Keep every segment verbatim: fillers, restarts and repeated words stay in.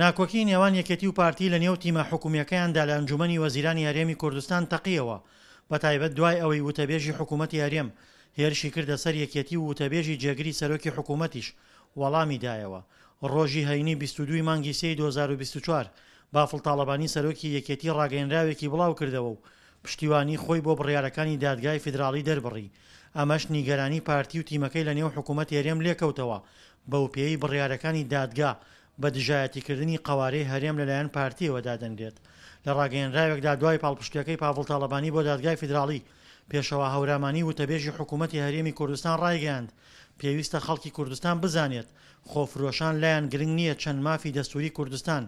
ناکۆکی نێوان یەکێتی و پارتی لە نێو تیمە حکومییەکەیاندا لە ئەنجومەنی وەزیرانی هەرێمی کوردستان تەقیەوە، بەتایبەت دوای ئەوەی وتەبێژی حکوومەتی هەرێم هێرشی کردە سەر یەکێتی و وتەبێژی جێگری سەرۆکی حکوومەتیش وەڵامی دایەوە. ڕۆژی هەینی بیست و دوو ی مانگی سێی دوو هەزار و بیست و چوار بافڵ تاڵەبانی سەرۆکی یەکێتی ڕاگەیەنراوێکی بڵاوکردەوە و پشتیوانی خۆی بۆ بڕیارەکانی دادگای فیدراڵی دەربڕی، ئەمەش نیگەرانی پارتی و تیمەکەی لەنێو حکوومەتی هەرێم لێکەوتەوە، بەوپێیەی بڕیارەکانی دادگا بە دژایەتیکردنی قەوارەی هەرێم لەلایەن پارتییەوە دادەنرێت. لە ڕاگەیەنراوێکدا دوای پاڵپشتییەکەی پاڤڵ تاڵەبانی بۆ دادگای فیدراڵی، پێشەوا هەورامانی وتەبێژی حکوومەتی هەرێمی کوردستان ڕایگەیاند، پێویستە خەڵکی کوردستان بزانێت خۆفرۆشان لایان گرنگ نییە چەند مافی دەستووری کوردستان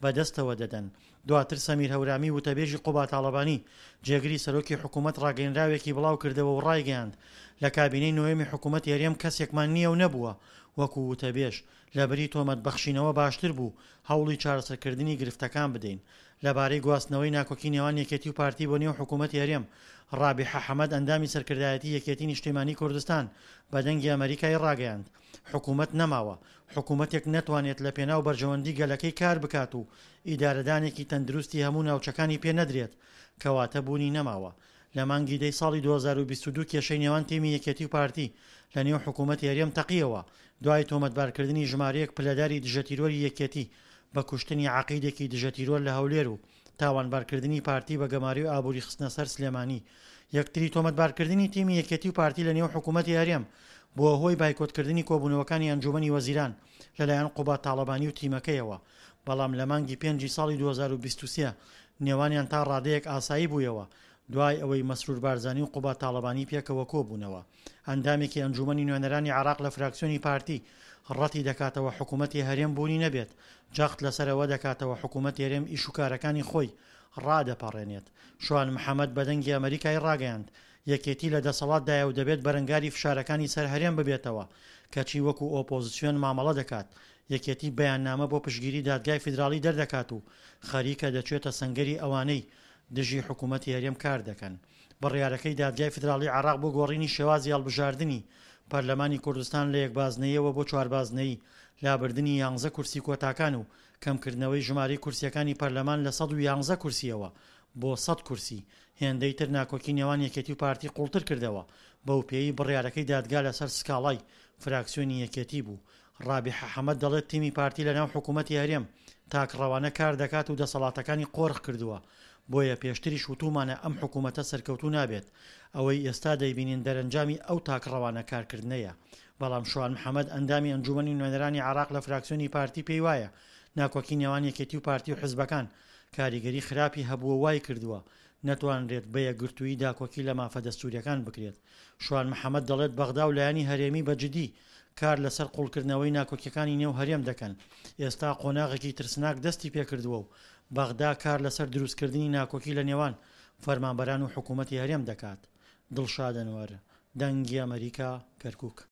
بەدەستەوە دەدەن. دواتر سەمیر هەورامی وتەبێژی قوبا تاڵەبانی جێگری سەرۆکی حکوومەت ڕاگەیەنراوێکی بڵاوکردەوە و ڕایگەیاند، لە کابینەی نۆیەمی حکوومەتی هەرێم کەسێکمان نییە و نەبووە وەکو وتەبێژ، لەبری تۆمەت بەخشینەوە باشتر بوو هەوڵی چارەسەرکردنی گرفتەکان بدەین. لەبارەی گواستنەوەی ناکۆکی نێوان یەکێتی و پارتی بۆ نێو حکوومەتی هەرێم، ڕابیحە حەمەد ئەندامی سەرکردایەتی یەکێتی نیشتیمانی کوردستان بە دەنگی ئەمەریکای ڕاگەیاند، حکوومەت نەماوە، حکوومەتێک نەتوانێت لە پێناو بەرژەوەندی گەلەکەی کار بکات و ئیدارەدانێکی تەندروستی هەموو ناوچەکانی پێ نەدرێت، کەواتە بوونی نەماوە. لە مانگی دەی ساڵی دوو هەزار و بیست و دوو کێشەی نێوان تیمی یەکێتی و پارتی لە نێو حکوومەتی هەرێم تەقیەوە، دوای تۆمەتبارکردنی ژمارەیەک پلەداری دژەتیرۆری یەکێتی بە کوشتنی عەقیدێکی دژەتیرۆر لە هەولێر و تاوانبارکردنی پارتی بە گەمارۆی ئابووری خستنە سەر سلێمانی. یەکتری تۆمەتبارکردنی تیمی یەکێتی و پارتی لە نێو حکوومەتی هەرێم بووە هۆی بایکۆتکردنی کۆبوونەوەکانی ئەنجوومەنی وەزیران لەلایەن قوباد تاڵەبانی و تیمەکەیەوە، بەڵام لە مانگی پێنجی ساڵی دوو هەزار و بیست و سێ نێوانیان تا ڕادەیەک ئاسایی بوویەوە دوای ئەوەی مەسرور بارزانی و قوباد تاڵەبانی پێکەوە کۆبوونەوە. ئەندامێکی ئەنجوومەنی نوێنەرانی عێراق لە فراکسیۆنی پارتی ڕەتی دەکاتەوە حکوومەتی هەرێم بوونی نەبێت، جەخت لەسەر ئەوە دەکاتەوە حکوومەتی هەرێم ئیش و کارەکانی خۆی ڕادەپەڕێنێت. شوان محەمەد بە دەنگی ئەمەریکای ڕاگەیاند، یەکێتی لە دەسەڵاتدایە و دەبێت بەرەنگاری فشارەکانی سەر هەرێم ببێتەوە، کەچی وەکو ئۆپۆزسیۆن مامەڵە دەکات. یەکێتی بەیاننامە بۆ پشتگیری دادگای فیدراڵی دەردەکات و خەریکە دەچێتە سەنگەری ئەوانەی دژی حکوومەتی هەرێم کار دەکەن. بڕیارەکەی دادگای فیدراڵی عێراق بۆ گۆڕینی شێوازی هەڵبژاردنی پەرلەمانی کوردستان لە یەکبازنەیەوە بۆ چواربازنەیی، لابردنی یانزە کورسی کۆتاکان و کەمکردنەوەی ژمارەی کورسیەکانی پەرلەمان لە سەد و یانزە کورسیەوە بۆ سەد کورسی، هێندەی تر ناکۆکی نێوان یەکێتی و پارتی قوڵتر کردەوە، بەوپێیەی بڕیارەکەی دادگا لەسەر سکاڵای فراکسیۆنی یەکێتی بوو. ڕابیحە حەمەد دەڵێت تیمی پارتی لەناو حکوومەتی هەرێم تاکڕەوانە کار دەکات و دەسەڵاتەکانی قۆرخ کردووە، بۆیە پێشتریش وتوومانە ئەم حکوومەتە سەرکەوتوو نابێت، ئەوەی ئێستا دەیبینین دەرەنجامی ئەو تاکڕەوانە کارکردنەیە. بەڵام شوان محەمەد ئەندامی ئەنجوومەنی نوێنەرانی عێراق لە فراکسیۆنی پارتی پێی وایە ناکۆکی نێوان یەکێتی و پارتی و حزبەکان کاریگەری خراپی هەبووە وای کردووە نەتوانرێت بە یەکگرتوویی داکۆکی لە مافە دەستووریەکان بکرێت. شوان محەمەد دەڵێت بەغدا و لایەنی هەرێمی بە جدی کار لەسەر قوڵکردنەوەی ناکۆکیەکانی نێو هەرێم دەکەن، ئێستا قۆناغێکی ترسناک دەستی پێکردووە و بەغدا کار لەسەر دروستکردنی ناکۆکی لە نێوان فەرمانبەران و حکوومەتی هەرێم دەکات. دڵشاد ئەنوەر، دەنگی ئەمەریکا، کەرکوک.